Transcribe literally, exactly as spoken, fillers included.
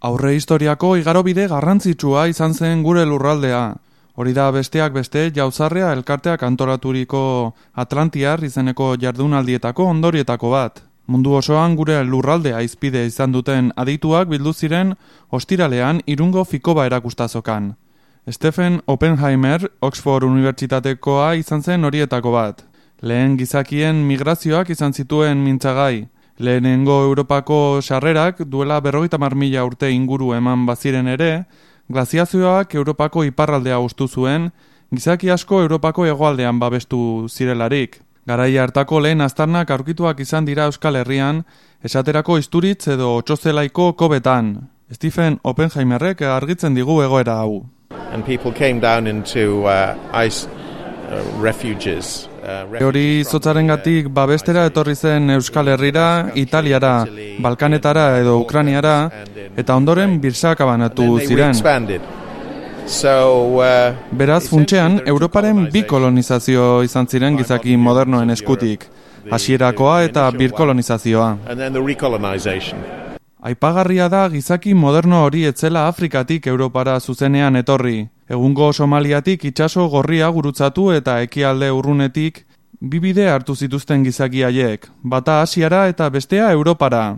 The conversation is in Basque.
Aurre historiako igarobide garrantzitsua izan zen gure lurraldea. Hori da besteak beste Jauzarrea elkarteak antolaturiko Atlantiar izeneko jardunaldietako ondorietako bat. Mundu osoan gure lurraldea hizpide izan duten adituak bildu ziren ostiralean Irungo Fikoba erakustazokan. Stephen Oppenheimer, Oxford Unibertsitatekoa izan zen horietako bat. Lehen gizakien migrazioak izan zituen mintzagai. Lehenengo Europako sarrerak duela berrogeita hamar mila urte inguru eman baziren ere, glaziazioak Europako iparraldea hustu zuen, gizaki asko Europako hegoaldean babestu zirelarik. Garai hartako lehen aztarnak aurkituak izan dira Euskal Herrian, esaterako Isturitz edo Otsozelaiko kobetan. Stephen Oppenheimerrek argitzen digu egoera hau. And people came down into uh, ice uh, refuges. Hori zotzarengatik babestera etorri zen Euskal Herrira, Italiara, Balkanetara edo Ukrainiara, eta ondoren birsakabanatu ziren. Beraz, funtsean, Europaren bi kolonizazio izan ziren gizaki modernoen eskutik, hasierakoa eta birkolonizazioa. Aipagarria da gizaki moderno hori etzela Afrikatik Europara zuzenean etorri. Egungo Somaliatik itsaso gorria gurutzatu eta ekialde urrunetik bi bide hartu zituzten gizaki haiek, bata Asiara eta bestea Europara.